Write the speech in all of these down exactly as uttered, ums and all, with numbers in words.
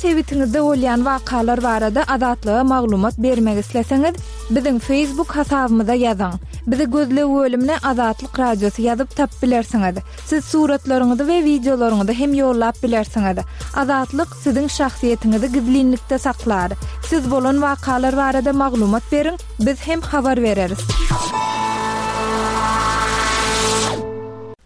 sebitiňizde bolýan wakalar barada Azatlyga maglumat bermek isleseňiz, biziň Facebook hasabymyza ýazyň. Bizi gözleg bölümine Azatlyk Radiosy ýazyp tapyp bilersiňiz. Siz suratlaryňyzy we wideolaryňyzy hem ýollap bilersiňiz. Azatlyk siziň şahsyýetiňizi gizlinlikde saklar. Siz bolan wakalar barada maglumat beriň, biz hem habar bereris.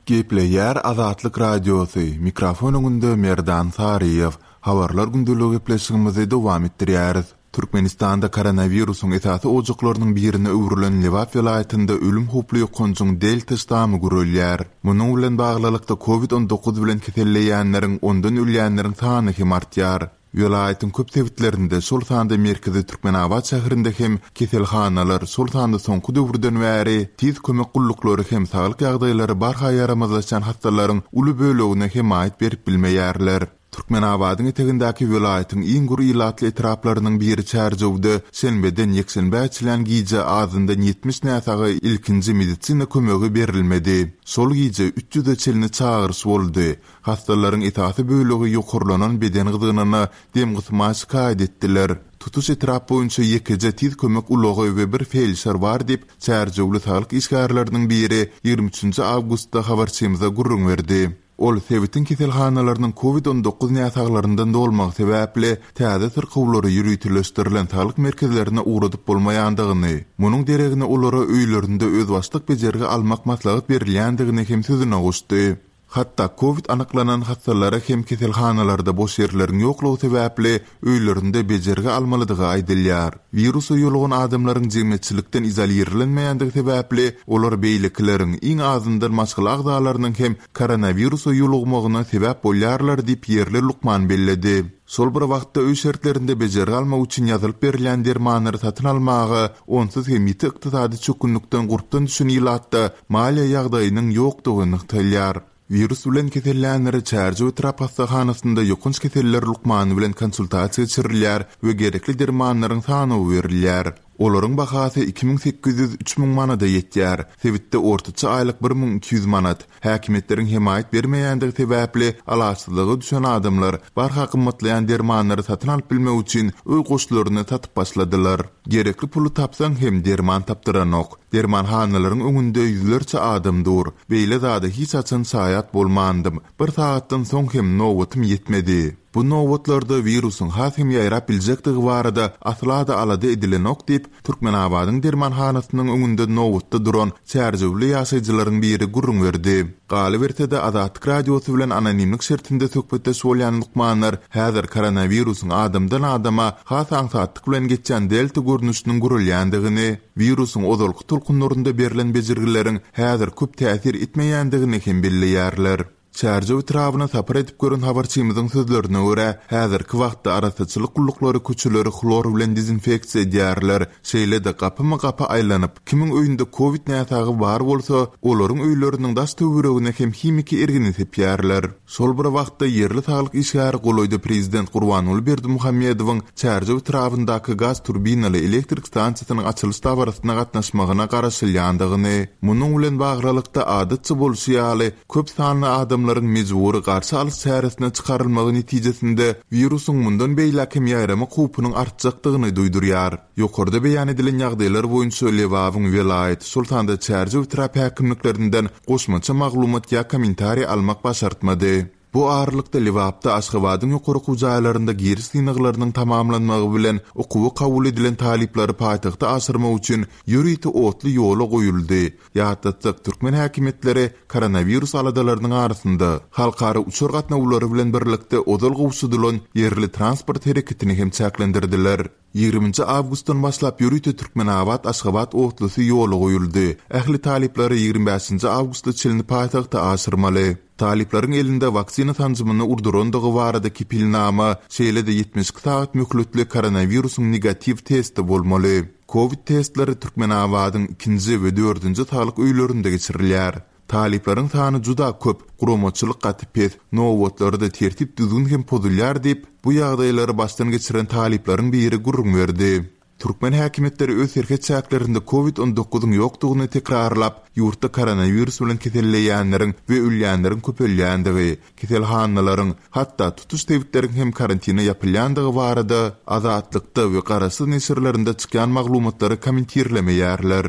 Gepleýär Azatlyk Radiosy, mikrofon öňünde Merdan Saryýew. Habarlar gündeligi gepleşigimizi dowam etdirýäris. Türkmenistanda koronawirusyň esasy ojaklarynyň birine öwrülen Lebap welaýatynda ölüm howply ýokanjyň Delta ştamy gürelýär. Munuň bilen baglylykda Covid on dokuz bilen keselleýänleriň, ondan ölýänleriň sany hem artýar. Welaýatyň köp sebitlerinde, şol sanda merkezi Türkmenabat şäherinde hem keselhanalar, şol sanda soňky döwürden bäri tiz kömek gulluklary hem saglyk ýagdaýlary barha ýaramazlaşýan hassalaryň uly bölegine hemaýat berip bilmeýärler. Türkmenabadyň etegindäki welaýatyň iň gür ilatly etraplarynyň biri Çärjewde şenbeden ýekşenbä çenli gije azyndan ýetmiş näsaga ilkinji medisina kömegi berilmedi. Şol gije üç ýüze çenli çagyryş boldy. Hassalaryň esasy bölegi ýokarlanan beden gyzgynyna dem gysma şikaýat etdiler. Tutuş etrap boýunça ýekeje tiz kömek ulagy we bir felşer bar diýip, Çärjewli saglyk işgärleriniň biri ýigrimi üçünji awgustda habarçymyza gürrüň berdi. Ol sebitiň keselhanalarynyň Covid on dokuz näsaglaryndan dolmagy sebäpli täze syrkawlary ýöriteleşdirilen saglyk merkezlerine ugradyp bolmaýandygyny, munuň deregine olara öýlerinde özbaşdak bejergi almak maslahat berilýändigini hem sözüne goşdy. Hatda Covid anyklanan hassalara hem keselhanalarda boş ýerleriň ýoklugy sebäpli öýlerinde bejergi almalydygy aýdylýar. Wirusa ýolugan adamlaryň jemgyýetçilikden izolirlenmeýändigi sebäpli olar beýlekileriň iň azyndan maşgala agzalarynyň hem koronawirusa ýolugmagyna sebäp bolýarlar diýip ýerli lukman belledi. Şol bir wagtda öý şertlerinde bejergi almak üçin ýazylyp berilýän dermanlary satyn almaga onsuz hem ýiti ykdysady çökgünlikden gurpdan düşen ilatda maliýe ýagdaýynyň ýokdugy nygtalýar. Wirus bilen kesellänleri Çärjew etrap hassahanasynda ýokanç keseller lukmany bilen konsultasiýa geçirilýär we gerekli dermanlaryň sanawy berilýär. Olaryň bahasy iki müň sekiz ýüz üç müň manada ýetýär. Sebitde ortaça aýlyk bir müň iki ýüz manat. Häkimiýetleriň hemaýat bermeýändigi sebäpli alaçsyzlyga düşen adamlar barha gymmatlaýan dermanlary satyn alyp bilmek üçin öý goşlaryny satyp başladylar. Gerekli puly tapsaň hem derman tapdyranok. Dermanhanalaryň öňünde ýüzlerçe adam dur. Beýle zada hiç haçan şaýat bolmandym. Bir sagatdan soň hem nobatym ýetmedi. Bu nobatlarda wirusyň has hem ýaýrap biljekdigi barada asla-da alada edilenok diýip, Türkmenabadyň dermanhanasynyň öňünde nobatda duran Çärjewli ýaşaýjylaryň biri gürrüň berdi. Galyberse-de Azatlyk Radiosy bilen anonimlik şertinde söhbetdeş bolýan lukmanlar häzir koronawirusyň adamdan adama has aňsatlyk bilen geçýän delta görnüşiniň gürülýändigini, wirusyň ozalky tolkunlarynda berlen bejergileriň häzir köp täsir etmeýändigini hem belleýärler. Çärjew etrabyna sapar edip gören habarçymyzyň sözlerine görä, häzirki wagtda arassaçylyk gulluklary köçeleri hlor bilen dezinfeksiýa edýärler. Şeýle-de gapyma-gapy aýlanyp, kimiň öýünde Covid näsagy bar bolsa, olaryň öýleriniň daş töweregine hem himiki ergini sepýärler. Şol bir wagtda ýerli saglyk işgäri golaýda prezident Gurbanguly Berdimuhamedowyň Çärjew etrabyndaky gaz turbinaly elektrik stansiýasynyň açylyş dabarasyna gatnaşmagyna garaşylýandygyny, munuň bilen baglylykda adatça bolşy ýaly köp sanly adamlaryň mejbury garşy alyş çäresine çykarylmagy netijesinde wirusyň mundan beýläk hem ýaýramak howpunyň artjakdygyny duýdurýar. Ýokarda beýan edilen ýagdaýlar boýunça Lebabyň welaýat, şol sanda Çärjew etrap häkimliklerinden goşmaça maglumat ýa kommentariý almak başartmady. Bu aralykda Lebapda Aşgabadyň ýokary okuw jaýlarynda giriş synaglarynyň tamamlanmagy bilen okuwa kabul edilen talyplary paýtagta aşyrmak üçin ýörite otly ýola goýuldy. Ýatlatsak, türkmen häkimiýetleri koronawirus aladalarynyň arasynda halkara uçar gatnawlary bilen birlikde ozal gowşudylan ýerli transport hereketini hem çäklendirdiler. Ýigriminji awgustdan başlap ýörite Türkmenabat Aşgabat otlusy ýola goýuldy. Ähli talyplary ýigrimi bäşinji awgustda çenli paýtagta aşyrmaly. Talyplaryň elinde waksina sanjymyny urdurandygy barada kepilnama, şeýle-de ýetmiş iki sagat möhletli koronawirusyň negatiw testi bolmaly. Covid testleri Türkmenabadyň ikinji we dördünji saglyk öýlerinde geçirilýär. Talyplaryň sany juda köp, guramaçylyk gaty pes, nobatlarda tertip düzgün hem pozulýar diýip, bu ýagdaýlary başdan geçiren talyplaryň biri gürrüň berdi. Türkmen häkimiýetleri öz serhet çäklerinde Covid on dokuzyň ýokdugyny tekrarlap, ýurtda koronawirus bilen keselleýänleriň we ölýänleriň köpelýändigi, keselhanalaryň, hatda tutuş sebitleriň hem karantina ýapylýandygy barada Azatlykda we garaşsyz neşirlerinde çykýan maglumatlary kommentirlemeýärler.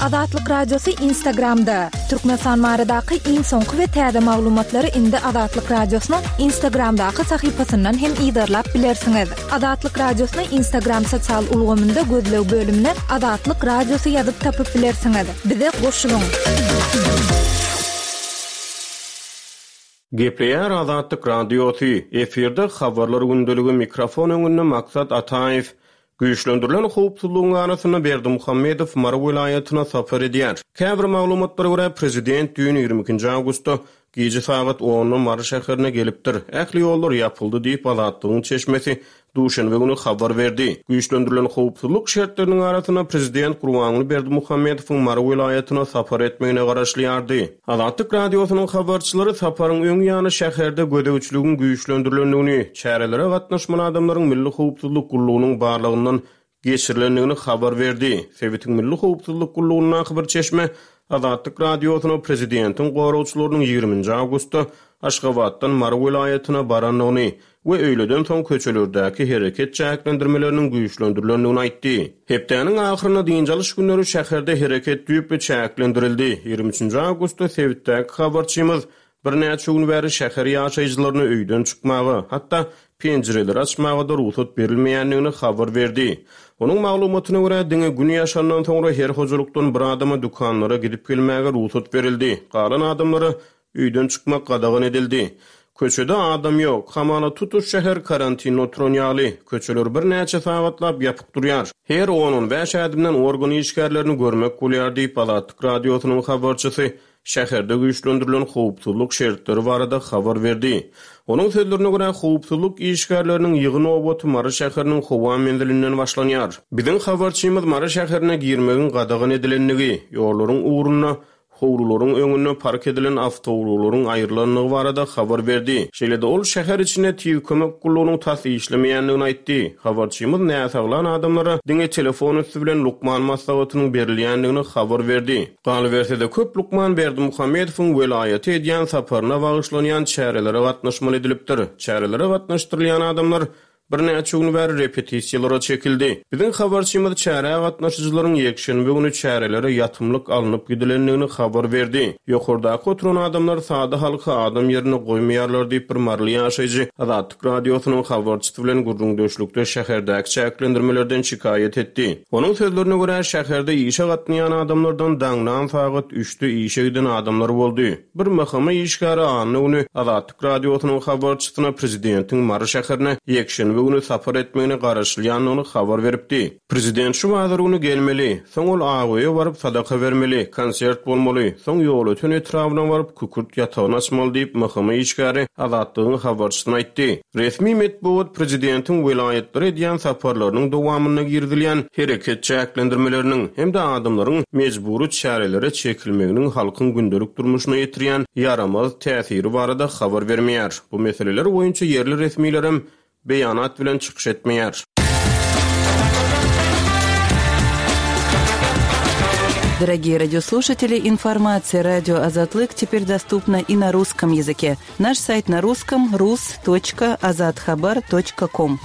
Azatlyk Radiosy Instagramda. Türkmenistan baradaky iň soňky we täze maglumatlary indi Azatlyk Radiosynyň Instagramdaky sahypasyndan hem yzarlap bilersiňiz. Azatlyk Radiosyny Instagram sosial ulgamynda gözleg bölümine Azatlyk Radiosy ýazyp tapyp bilersiňiz. Bize goşulyň. Gepleýär Azatlyk Radiosy. Efirde habarlar gündeligi, mikrofon öňünde Maksat Ataýew. Güýçlendirilen howpsuzlygyň arasynda Berdimuhamedow Mary welaýatyna sapar edýär. Käbir maglumatlara görä prezident düýn ýigrimi ikinji awgustda gije sagat onda Mary şäherine gelipdir. Ähli ýollar ýapyldy diýip Azatlygyň çeşmesi duşenbe güni habar berdi. Güýçlendirilen howpsuzlyk şertleriniň arasynda prezident Gurbanguly Berdimuhamedowyň Mary welaýatyna sapar etmegine garaşylýardy. Azatlyk Radiosynyň habarçylary saparyň öň ýany şäherde gözegçiligiň güýçlendirilendigini, çärelere gatnaşmaly adamlaryň Milli Howpsuzlyk Gullugynyň barlygyndan geçirilendigini habar berdi. Sebitiň Milli Howpsuzlyk Gullugyndaky bir çeşme Azatlyk Radiosyna prezidentiň goragçylarynyň ýigriminji awgustda Aşgabatdan Mary welaýatyna barandygyny we öýleden soň köçelerdäki hereket çäklendirmeleriniň güýçlendirilendigini aýtdy. Hepdäniň ahyrynda dynç alyş günleri şäherde hereket düýpli çäklendirildi. Ýigrimi üçünji awgustda sebitdäki habarçymyz birnäçe gün bäri şäher ýaşaýjylaryna öýden çykmaga, hatda penjireleri açmaga da rugsat berilmeýändigini habar berdi. Onuň maglumatyna görä diňe gün ýaşandan soňra her hojalykdan bir adama dükanlara gidip gelmäge rugsat berildi. Galan adamlara öýden çykmak gadagan edildi. Köçede adam ýok. Hamala tutuş şäher karantinde oturan ýaly. Köçeler birnäçe sagatlap ýapyk durýar. Her on-on bäş ädimden organ işgärlerini görmek bolýar diýip Azatlyk Radiosynyň habarçysy şäherde güýçlendirilen howpsuzlyk şertleri barada habar berdi. Onuň sözlerine görä howpsuzlyk işgärleriniň ýygy nobaty Mary şäheriniň howa menzilinden başlanýar. Biziň habarçymyz Mary şäherine girmegiň gadagan edilendigi, ýollaryň ugrunda howlularyň öňünde park edilen awtoulaglaryň aýrylandygy barada habar berdi. Şeýle-de ol şäher içinde tiz kömek gullugynyň tas işlemeýändigini aýtdy. Habarçymyz näsaglan adamlara diňe telefon üstü bilen lukman maslahatynyň berilýändigini habar berdi. Galyberse-de köp lukman Berdimuhamedowyň welaýaty edýän saparyna bagyşlanýan çärelere gatnaşmaly edilipdir. Çärelere gatnaşdyrylýan adamlar birnäçe gün bäri repetisiýalara çekildi. Biziň habarçymyz çärä gatnaşyjylaryň ýekşenbe güni çärelere ýatymlyk alnyp gidilendigini habar berdi. Ýokardaky oturan adamlar sada halky adam ýerine goýmaýarlar diýip bir maryly ýaşaýjy Azatlyk Radiosynyň habarçysy bilen gürrüňdeşlikde şäherdäki çäklendirmelerden şikaýat etdi. Onuň sözlerine görä şäherde işe gatnaýan adamlardan daňdan sagat üçde işe giden adamlar boldy. Bir mahama işgäri anna güni Azatlyk Radiosynyň habarçysyna prezidentiň Mary şäherine ýekşenbe güni sapar etmegine garaşylýandygyny habar beripdi. Prezident şu bazar güni gelmeli, soň ol Agoýa baryp sadaka bermeli, konsert bolmaly, soň Ýolöten etrabyna baryp kükürt ýatagyny açmaly diýip mahama işgäri Azatlygyň habarçysyna aýtdy. Resmi metbugat prezidentiň welaýatlara edýän saparlarynyň dowamynda girizilýän hereket çäklendirmeleriniň hem-de adamlaryň mejbury çärelere çekilmeginiň halkyň gündelik durmuşyna ýetirýän ýaramaz täsiri barada habar bermeýär. Bu meseleler boýunça ýerli resmilerem beýanat bilen çykyş etmeýär. Дорогие радиослушатели, информация радио Азатлык теперь доступна и на русском языке. Наш сайт на русском рус точка азатхабар точка ком.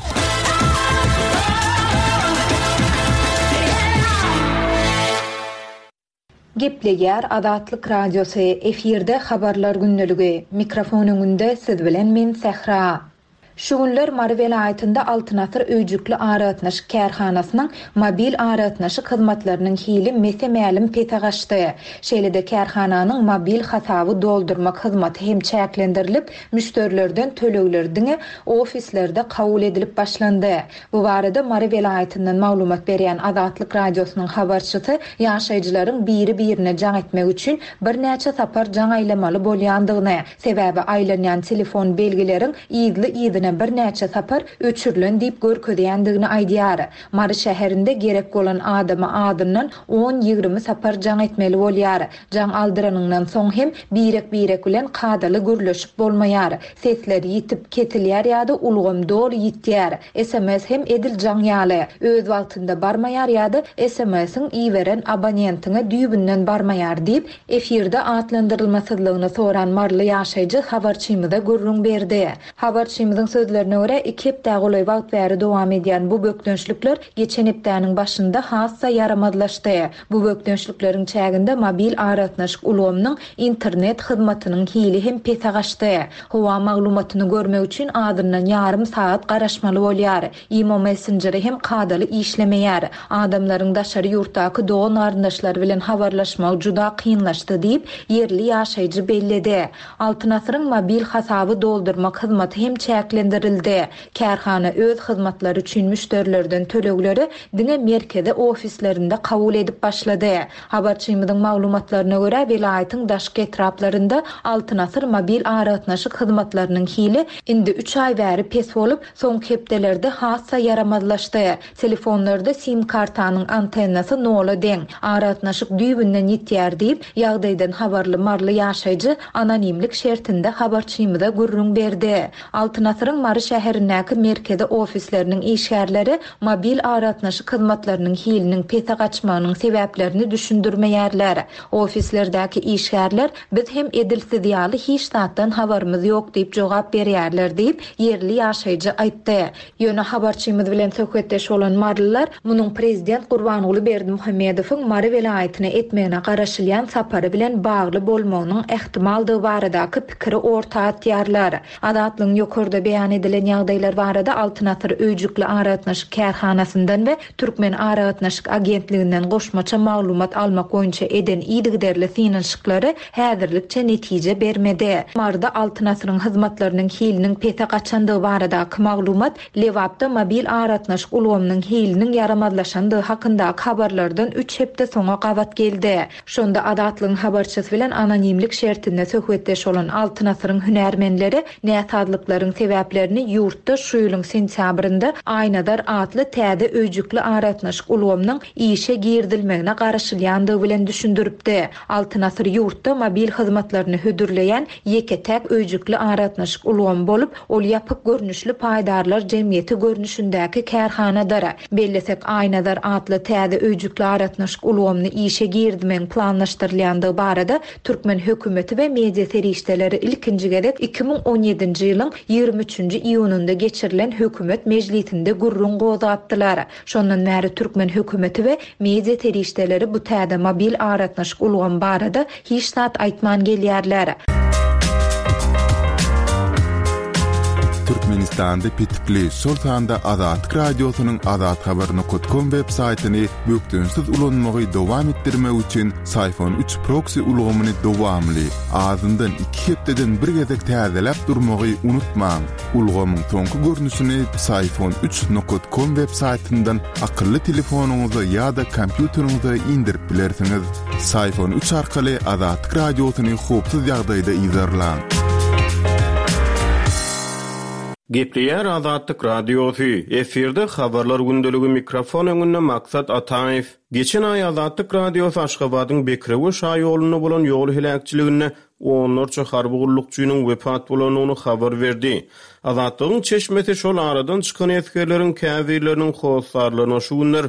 Gepleýär Azatlyk Radiosy, efirde habarlar gündeligi. Mikrofon öňünde siz bilen men Sähra. Şu günler Mary welaýatynda Altyn Asyr öýjükli aragatnaşyk kärhanasynyň mobil aragatnaşyk hyzmatlarynyň hili mese-mälim pese gaçdy. Şeýle-de kärhananyň mobil hasaby doldurmak hyzmaty hem çäklendirilip, müşderilerden tölegler diňe ofislerde kabul edilip başlandy. Bu barada Mary welaýatyndan maglumat berýän Azatlyk Radiosynyň habarçysy ýaşaýjylaryň biri-birine jaň etmek üçin birnäçe sapar jaň aýlamaly bolýandygyny, sebäbi aýlanýan telefon belgileriň yzly-yzyna hepdesine birnäçe sapar öçürilen diýip görkezýändigini aýdýar. Mary şäherinde gerek bolan adama azyndan on-ýigrimi sapar jaň etmeli bolýar. Jaň aldyranyňdan soň hem birek-birek bilen kadaly gürleşip bolmaýar. Sesler ýitip kesilýär ýa-da ulgam doly ýitýär. S M S hem edil jaň ýaly. Öz wagtynda barmaýar ýa-da S M S-iň iberen abonentiňe düýbünden barmaýar diýip, efirde atlandyrylmasyzlygyny soran Maryly ýaşaýjy habarçymyza gürrüň berdi. Habarçymyzyň sözlerine görä iki hepde golaý wagt bäri dowam edýän bu bökdençlikler geçen hepdäniň başynda hassa ýaramazlaşdy. Bu bökdençlikleriň çäginde mobil aragatnaşyk ulgamynyň internet hyzmatynyň hili hem pese gaçdy. Howa maglumatyny görmek üçin azyndan ýarym saat garaşmaly bolýar. Imo Messengeri hem kadaly işlemeýär. Adamlaryň daşary ýurtdaky dogan garyndaşlary bilen habarlaşmagy juda kynlaşdy diýip, ýerli ýaşaýjy belledi. Altyn Asyryň mobil hasaby doldurmak hyzmaty hem çäklendirildi. Kärhana öz hyzmatlary üçin müşderilerden tölegleri diňe merkezi ofislerinde kabul edip başlady. Habarçymyzyň maglumatlaryna görä welaýatyň daşky etraplarynda Altyn Asyr mobil aragatnaşyk hyzmatlarynyň hili indi üç aý bäri pes bolup, soňky hepdelerde hassa ýaramazlaşdy. Telefonlarda sim kartanyň antennasy nola deň, aragatnaşyk düýbünden ýitýär diýip, ýagdaýdan habarly Maryly ýaşaýjy anonimlik şertinde habarçymyza gürrüň berdi. Altyn Asyryň Mary şäherindäki merkezi ofisleriniň işgärleri mobil aragatnaşyk hyzmatlarynyň hiliniň pese gaçmagynyň sebäplerini düşündirmeýärler. Ofislerdäki işgärler biz hem edilsiz ýaly hiç zatdan habarymyz ýok diýip jogap berýärler diýip, ýerli ýaşaýjy aýtdy. Ýöne habarçymyz bilen söhbetdeş bolan Marylylar munuň prezident Gurbanguly Berdimuhamedowyň Mary welaýatyna etmegine garaşylýan sapary bilen bagly bolmagynyň ähtimaldygy baradaky pikiri orta atýarlar. Azatlygyň ýokarda beýan edilen ýagdaýlar barada Altyn Asyr öýjükli aragatnaşyk kärhanasyndan we Türkmen aragatnaşyk agentliginden goşmaça maglumat almak boýunça eden yzygiderli synanyşyklary häzirlikçe netije bermedi. Maryda Altyn Asyryň hyzmatlarynyň hiliniň pese gaçandygy baradaky maglumat Lebapda mobil aragatnaşyk ulgamynyň hiliniň ýaramazlaşandygy hakyndaky habarlardan üç hepde soňa gabat geldi. Şonda Azatlygyň habarçysy bilen anonimlik şertinde söhbetdeş bolan Altyn Asyryň hünärmenleri näsazlyklaryň sebäplerini ýurtda şu ýylyň sentýabrynda Aýnazar atly täze öýjükli aragatnaşyk ulgamynyň işe girizilmegine garaşylýandygy bilen düşündiripdi. Altyn Asyr ýurtda mobil hyzmatlaryny hödürleýän ýeke-täk öýjükli aragatnaşyk ulgamy bolup, ol ýapyk görnüşli paýdarlar jemgyýeti görnüşindäki kärhanadyr. Bellesek Aýnazar atly täze öýjükli aragatnaşyk ulgamyny işe girizmegiň planlaşdyrylýandygy barada Türkmen hökümeti we media serişdeleri ilkinji gezek iki müň on ýedinji ýylyň ýigrimi üçünji iýunynda geçirilen hökümet mejlisinde gürrüň gozgapdylar. Şondan bäri Türkmen hökümeti we media serişdeleri bu täze mobil aragatnaşyk ulgamy barada hiç zat aýtman gelýärler. Türkmenistanda petikli, şol sanda Azatlyk Radiosynyň azathabar nokta com web saýtyny bökdençsiz ulanmagy dowam etdirmek üçin Syfon üç proxy ulgamyny dowamly, azyndan iki hepdeden bir gezek täzeläp durmagy unutmaň. Ulgamyň soňky görnüşini Syfon üç nokta com web saýtyndan akylly telefonyňyza ýa-da kompýuteriňize indirip bilersiňiz. Syfon üç arkaly Azatlyk Radiosyny howpsuz ýagdaýda yzarlaň. Gepleýär Azatlyk Radiosy. Efirde habarlar gündeligi mikrofon öňünde Maksat Ataýew. Geçen aý Azatlyk Radiosy Aşgabadyň Bekrewe şaýolunda bolan ýol heläkçiliginde onlarça harby gullukçynyň wepat bolandygyny habar berdi. Azatlygyň çeşmesi şol aradan çykan esgerleriň käbirleriniň hossarlaryna şu günler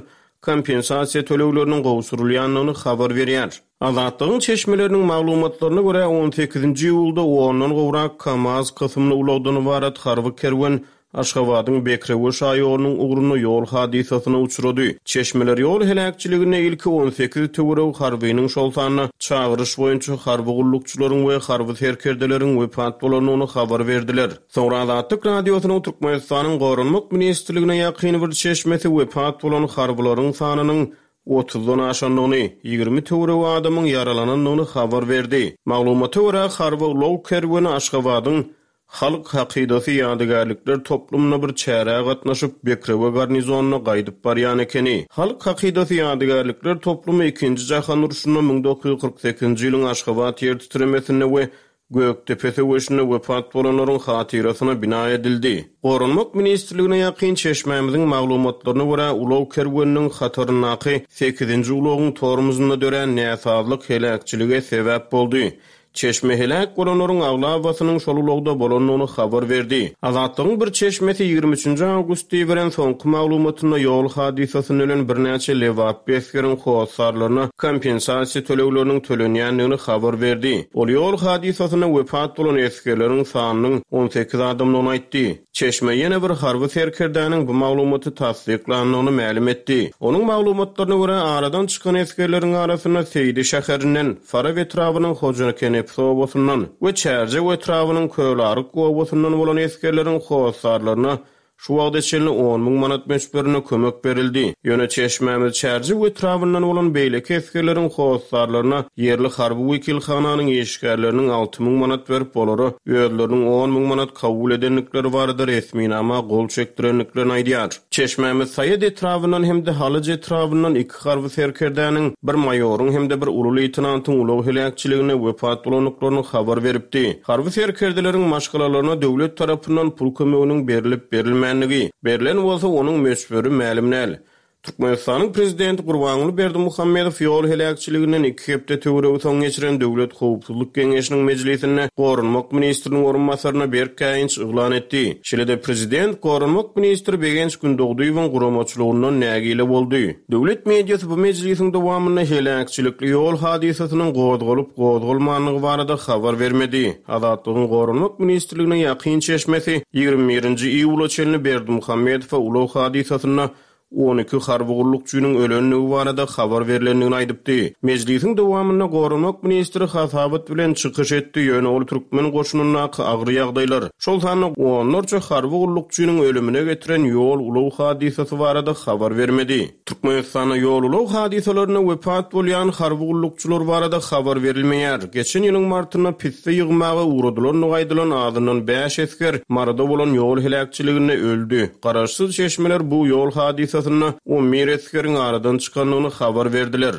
kompensasiýa tölegleriniň gowşurylýandygyny habar berýär. Azatlygyň çeşmeleriniň maglumatlaryna görä on sekizinji iýulda ondan gowrak KAMAZ kysymly ulagdan ybarat harby kerwen Aşgabadyň Bekrewe şaýolunyň ugrunda ýol hadysasyna uçrady. Çeşmeler ýol heläkçiliginde ilki on sekiz töweregi harbynyň şol sanda çagyryş boýunça harby gullukçylaryň we harby serkerdeleriň wepat bolandygyny habar berdiler. Soňra Azatlyk Radiosynyň Türkmenistanyň Goranmak Ministrligine ýakyn bir çeşmesi wepat bolan harbylaryň sanynyň otuzdan aşandygyny, ýigrimi töweregi adamyň ýaralanandygyny habar berdi. Maglumata görä harby ulag kerweni Aşgabadyň Halk hakydasy ýadygärlikler toplumyna bir çärä gatnaşyp Bekrewe garnizonyna gaýdyp barýan ekeni. Halk hakydasy ýadygärlikler toplumy ikinji jahan urşunda müň dokuz ýüz kyrk sekizinji ýylyň Aşgabat ýer titremesinde we Gökdepe söweşinde wepat bolanlaryň hatyrasyna bina edildi. Goranmak ministrligine ýakyn çeşmämiziň maglumatlaryna görä, ulag kerweniniň hataryndaky sekizinji ulagyň tormozunda dörän näsazlyk heläkçilige sebäp boldy. Çeşme heläk bolanlaryň aglabasynyň şol ulagda bolandygyny habar berdi. Azatlygyň bir çeşmesi ýigrimi üçünji awgustda beren soňky maglumatynda ýol hadysasynda ölen birnäçe Lebaply esgeriň hossarlaryna kompensasiýa tölegleriniň tölenýändigini habar berdi. Ol ýol hadysasynda wepat bolan esgerleriň sanynyň on sekiz adamdygyny aýtdy. Çeşme ýene bir harby serkerdäniň bu maglumaty tassyklandygyny mälim etdi. Onuň maglumatlaryna görä aradan çykan esgerleriň arasynda Seýdi şäherinden, Farap etrabynyň Hojakenepsi obasyndan we Çärjew etrabynyň Kölaryk obasyndan bolan esgerleriň hossarlaryna şu wagta çenli on müň manat möçberinde kömek berildi. Ýöne çeşmämiz Çärjew etrabyndan bolan beýleki esgerleriň hossarlaryna ýerli harby wekilhananyň işgärleriniň alty müň manat berip, olara özleriniň on müň manat kabul edendikleri barada resminama gol çekdirendiklerini aýdýar. Çeşmämiz Saýat etrabyndan hem-de Halyç etrabyndan iki harby serkerdäniň, bir maýoryň hem-de bir uly leýtenantyň ulag heläkçiligine wepat bolandyklaryny habar beripdi. Harby serkerdeleriň maşgalalaryna döwlet tarapyndan pul kömeginiň berilip berilmänligi, berlen bolsa onuň möçberi mälim däl. Türkmenistanyň prezidenti Gurbanguly Berdimuhamedow ýol heläkçiliginden iki hepde töweregi soň geçiren Döwlet Howpsuzlyk Geňeşiniň mejlisinde Goranmak ministriniň orunbasaryna berk käýinç yglan etdi. Şeýle-de prezident Goranmak ministri Begenç Gündogdyýewiň guramaçylygyndan nägile boldy. Döwlet mediasy bu mejlisiň dowamynda heläkçilikli ýol hadysasynyň gozgalyp gozgalmanlygy barada habar bermedi. Azatlygyň Goranmak ministrligine ýakyn çeşmesi ýigrimi birinji iýula çenli Berdimuhamedowa ulag hadysasynda on iki harby gullukçynyň ölenligi barada habar berilendigini aýdypdy. Mejlisiň dowamynda Goranmak ministri hasabat bilen çykyş etdi, ýöne ol türkmen goşunyndaky agyr ýagdaýlar, şol sanda onlarça harby gullukçynyň ölümine getiren ýol ulag hadysasy barada habar bermedi. Türkmenistanda ýol ulag hadysalarynda wepat bolýan harby gullukçylar barada habar berilmeýär. Geçen ýylyň martynda pisse ýygmaga ugradylandygy aýdylan azyndan bäş esger Maryda bolan ýol heläkçiliginde öldi. Garaşsyz çeşmeler bu ýol hadysasynda on bir esgeriň aradan çykandygyny habar berdiler.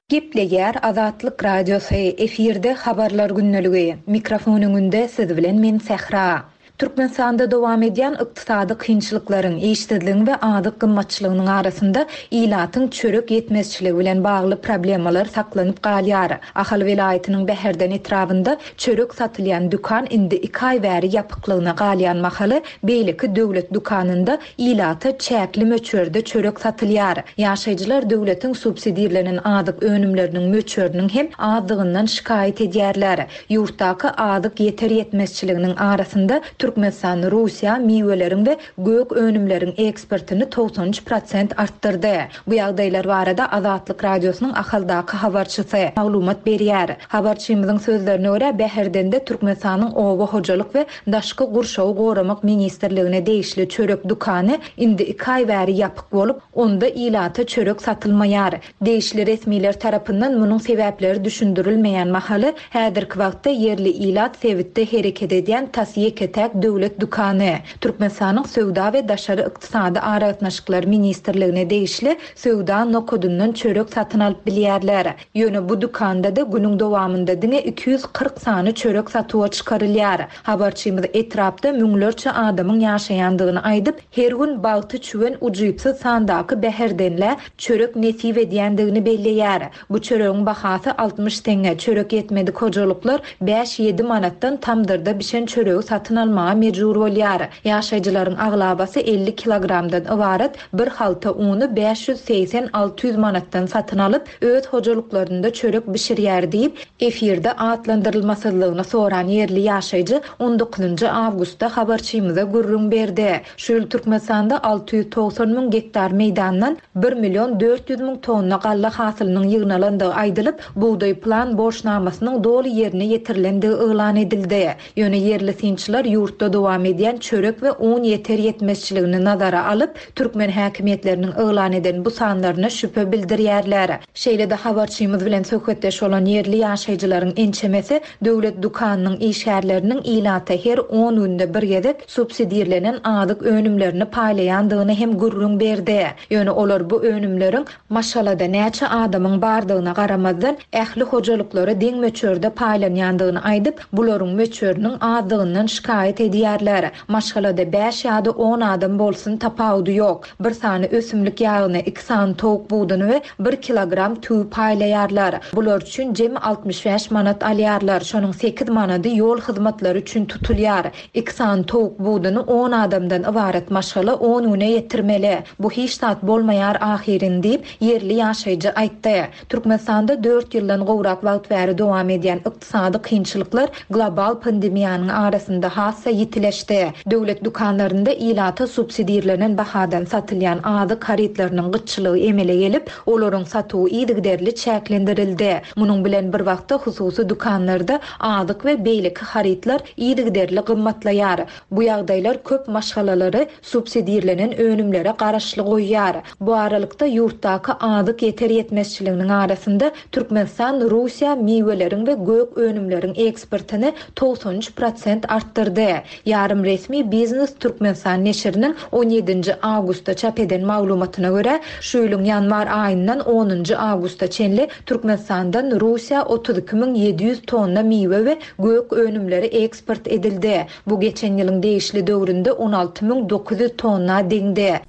Gepleýär Azatlyk Radiosy, efirde habarlar gündeligi. Mikrofon öňünde siz bilen men Sähra. Türkmenistanda dowam edýän ykdysady kynçylyklaryň, işsizligiň we azyk gymmatçylygynyň arasynda ilatyň çörek ýetmezçiligi bilen bagly problemalar saklanyp galýar. Ahal welaýatynyň Bäherden etrabynda çörek satylýan dükan indi iki aý bäri ýapyklygyna galýan mahaly beýleki döwlet dükanynda ilata çäkli möçberde çörek satylýar. Ýaşaýjylar döwletiň subsidirlenen azyk önümleriniň möçberiniň hem azlygyndan şikaýat edýärler. Ýurtdaky azyk ýeter ýetmezçiliginiň arasynda Türkmenistan Russiýa miweleriň we gök önümleriň eksportyny togsan üç prosent artdyrdy. Bu ýagdaýlar barada Azatlyk Radiosynyň Ahaldaky habarçysy maglumat berýär. Habarçymyzyň sözlerine görä Bäherdende Türkmenistanyň Oba hojalyk we Daşky gurşawy goramak ministrligine degişli çörek dükany indi iki aý bäri ýapyk bolup, onda ilata çörek satylmaýar. Degişli resmiler tarapyndan munuň sebäpleri düşündirilmeýän mahaly häzirki wagtda ýerli ilat sebitde hereket edýän tas ýeke-täk döwlet dükany Türkmenistanyň Söwda we Daşary Ykdysady Aragatnaşyklar Ministrligine degişli söwda nokadyndan çörek satyn alyp bilýärler. Ýöne bu dükanda da günüň dowamynda diňe iki ýüz kyrk sany çörek satuwa çykarylýar. Habarçymyz etrapda müňlerçe adamyň ýaşaýandygyny aýdyp, her gün bagty çüwen ujypsyz sandaky Bäherdenlä çörek nesip edýändigini belleýär. Bu çöregiň bahasy altmyş teňňe, çörek ýetmedik hojalyklar bäş ýedi manatdan tamdyrda bişen çöregi satyn almaga mejbur bolýar. Ýaşaýjylaryň aglabasy elli kilogramdan ybarat bir halta uny bäş ýüz segsen alty ýüz manatdan satyn alyp, öz hojalyklarynda çörek bişirýär diýip, efirde atlandyrylmasyzlygyny soran ýerli ýaşaýjy on dokuzynjy awgustda habarçymyza gürrüň berdi. Şu ýyl Türkmenistanda alty ýüz togsan müň gektar meýdandan bir milyon dört ýüz müň tonna galla hasylynyň ýygnalandygy aýdylyp, bugdaý plan borçnamasynyň doly ýerine ýetirilendigi yglan edildi. Ýöne ýerli synçylar ýurtda Ýurtda dowam edýän çörek we un ýeter ýetmezçiligini nazara alyp, türkmen häkimiýetleriniň yglan eden bu sanlaryna şübhe bildirýärler. Şeýle-de habarçymyz bilen söhbetdeş bolan ýerli ýaşaýjylaryň ençemesi döwlet dükanynyň işgärleriniň ilata her on günde bir gezek subsidirlenen azyk önümlerini paýlaýandygyny hem gürrüň berdi. Ýöne olar bu önümleriň maşgalada näçe adamyň bardygyna garamazdan ähli hojalyklara deň möçberde paýlanýandygyny aýdyp, bularyň möçberiniň azdygyndan şikaýat edýärler. Maşgalada bäş ýa-da on adam bolsun tapawudy ýok. Bir sany ösümlik ýagyny, iki sany towuk buduny we bir kilogram tüwi paýlaýarlar. Bular üçin jemi altmyş bäş manat alýarlar. Şonuň sekiz manady ýol hyzmatlary üçin tutulýar. Iki sany towuk buduny on adamdan ybarat maşgala on güne ýetirmeli. Bu hiç zat bolmaýar ahyrin diýip, ýerli ýaşaýjy aýtdy. Türkmenistanda dört ýyldan gowrak wagt bäri dowam edýän ykdysady kynçylyklar global pandemiýanyň arasynda hassa ýitileşdi. Döwlet dükanlarynda ilata subsidirlenen bahadan satylýan azyk harytlarynyň gytçylygy emele gelip, olaryň satuwy yzygiderli çäklendirildi. Munuň bilen bir wagtda hususy dükanlarda azyk we beýleki harytlar yzygiderli gymmatlaýar. Bu ýagdaýlar köp maşgalalary subsidirlenen önümlere garaşly goýýar. Bu aralykda ýurtdaky azyk ýeter ýetmezçiliginiň arasynda Türkmenistan Russiýa miweleriň we gök önümleriň eksportyny togsan üç prosent artdyrdy. Ýarym resmi Biznes Türkmenistan neşiriniň on ýedinji awgustda çap eden maglumatyna görä, şu ýylyň ýanwar aýyndan onunjy awgusta çenli Türkmenistandan Russiýa otuz iki müň ýedi ýüz tonna miwe we gök önümleri eksport edildi. Bu geçen ýylyň degişli döwründe on alty müň dokuz ýüz tonna deňdi.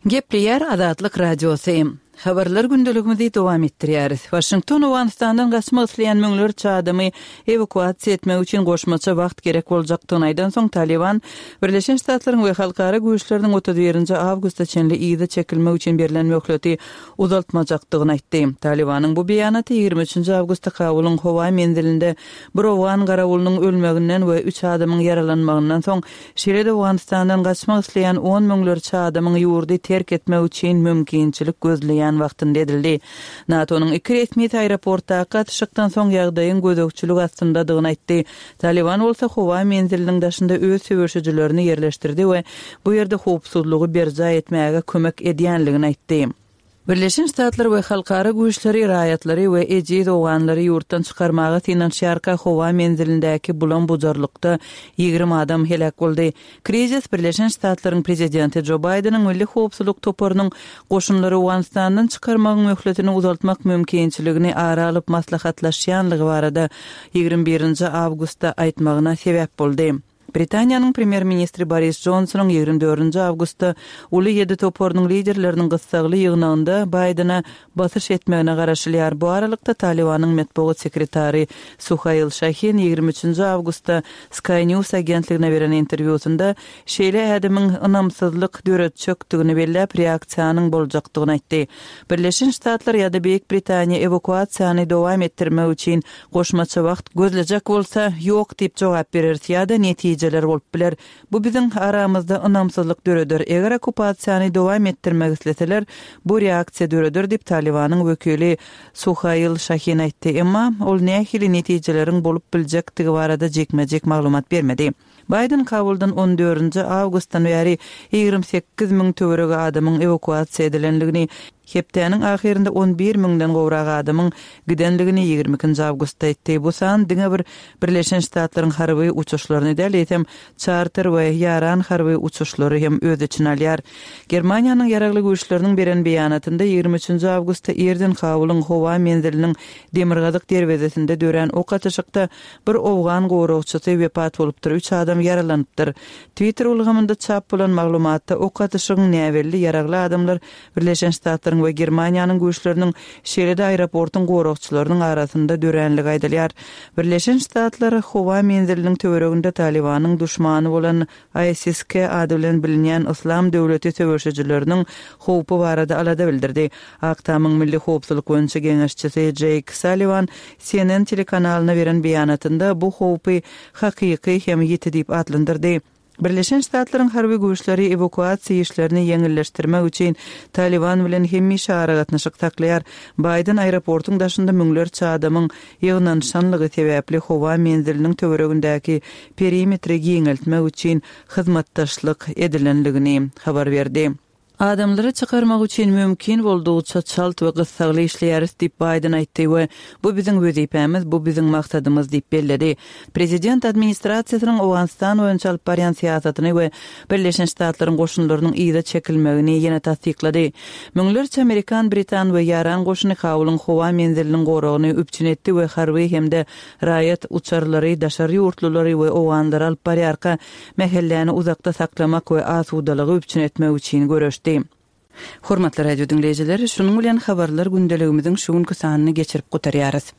Gepleýär Azatlyk Radiosy. Habarlar gündeligimizi dowam etdirýäris. Washington Owganystandan gaçmak isleýän müňlerçe adamy ewakuasiýa etmek üçin goşmaça wagt gerek boljakdygyny aýdan soň Taliban Birleşen Ştatlaryň we halkara güýçleriniň otuz birinji awgusta çenli yza çekilmek üçin berlen möhleti uzaltmajakdygyny aýtdy. Talibanyň bu beýanaty ýigrimi üçünji awgustda Kabulyň howa menzilinde bir owgan garawulynyň ölmeginden we üç adamyň ýaralanmagyndan soň şeýle-de Owganystandan gaçmak isleýän on müňlerçe adamyň ýurdy terk etmek üçin mümkinçilik gözleýän wagtynda edildi. NATO-nyň iki resmi aeroportdaky atyşykdan soň ýagdaýyň gözegçilik astyndadygyny aýtdy. Taliban bolsa howa menziliniň daşynda öz söweşijilerini ýerleşdirdi we bu ýerde howpsuzlygy berjaý etmäge kömek edýänligini aýtdy. Birleşen Ştatlar we halkara güýçleri raýatlary we ejiz owganlary ýurtdan çykarmaga synanyşýarka howa menzilindäki bulam bujarlykda ýigrimi adam heläk boldy. Krizis Birleşen Ştatlaryň prezidenti Jo Baýdeniň milli howpsuzlyk toparynyň goşunlary Owganystandan çykarmagyň möhletini uzaltmak mümkinçiligini ara alyp maslahatlaşýanlygy barada ýigrimi birinji awgustda aýtmagyna sebäp boldy. Britaniýanyň premýer-ministri Boris Johnsonyň ýigrimi dördünji awgustda uly ýedi toparynyň liderleriniň gyssagly ýygnagynda Baýdene basyş etmegine garaşylýar. Bu aralykda Talibanyň metbugat sekretary Suhail Şahin ýigrimi üçünji awgustda Sky News agentligine beren interwýusynda şeýle ädimiň ynamsyzlyk döretjekdigini belläp reaksiýanyň boljakdygyny aýtdy. Birleşen Ştatlar ýa-da Beýik Britaniýa ewakuasiýany dowam etdirmek üçin goşmaça wagt gözlejek bolsa ýok diýip jogap berer ýa-da netijeler bolup biler. Bu biziň aramyzda ynamsyzlyk döreder. Eger okupasiýany dowam etdirmek isleseler, bu reaksiýa döreder diýip Talibanyň wekili Suhail Şahin aýtdy. Emma ol nähili netijeleriň bolup biljekdigi barada jikme-jik maglumat bermedi. Biden Kabuldan on dördünji awgustdan bäri ýigrimi sekiz müň töweregi adamyň ewakuasiýa edilenligini, hepdäniň ahyrynda on bir müňden gowrak adamyň gidenligini ýigrimi ikinji awgustda aýtdy. Bu san diňe bir Birleşen Ştatlaryň harby uçuşlaryny däl, eýsem çarter we ýaran harby uçuşlary hem öz içine alýar. Germaniýanyň ýaragly güýçleriniň beren beýanatynda ýigrimi üçünji awgustda irden Kabulyň howa menziliniň demirgazyk derwezesinde dörän ok atyşykda bir owgan goragçysy wepat bolupdyr, üç adam ýaralanypdyr. Twitter ulgamynda çap bolan maglumatda ok atyşygyň näbelli ýaragly adamlar Birleşen Ştatlaryň we Germaniýanyň güýçleriniň şeýle-de aeroportuň goragçylarynyň arasynda döränligi aýdylýar. Birleşen Ştatlar howa menziliniň töwereginde Talibanyň duşmany bolan I S I S K ady bilen bilinýän Yslam döwleti söweşijileriniň howpy barada alada bildirdi. Ak Tamyň Milli Howpsuzlyk boýunça geňeşçisi Jake Sullivan C N N telekanalyna beren beýanatynda bu howpy hakyky hem ýiti diýip atlandyrdy. Birleşen Ştatlaryň harby güýçleri ewakuasiýa işlerini ýeňilleşdirmek üçin Talyban bilen hemişe aragatnaşyk saklaýar. Baýden aeroportuň daşynda müňlerçe adamyň ýygnanyşanlygy sebäpli howa menziliniň töweregindäki perimetri giňeltmek üçin hyzmatdaşlyk edilenligini habar berdi. Adamlary çykarmak üçin mümkin boldugyça çalt we gyssagly işleýäris diýip Baýden aýtdy we bu biziň wezipämiz, bu biziň maksadymyz diýip belledi. Prezident administrasiýasynyň Owganystan boýunça alyp barýan syýasatyny we Birleşen Ştatlaryň goşunlarynyň yza çekilmegini ýene tassyklady. Müňlerçe amerikan, britan we ýaran goşuny Kabulyň howa menziliniň goragyny üpjün etdi we harby hem-de raýat uçarlary daşary ýurtlulary we owganlary alyp barýarka mähelläni uzakda saklamak we asudalygy üpjün etmek üçin göreşdi. Hormatly radio diňleýjiler, şunuň bilen habarlar gündeligimiziň şu günki sanyny geçirip gutarýarys.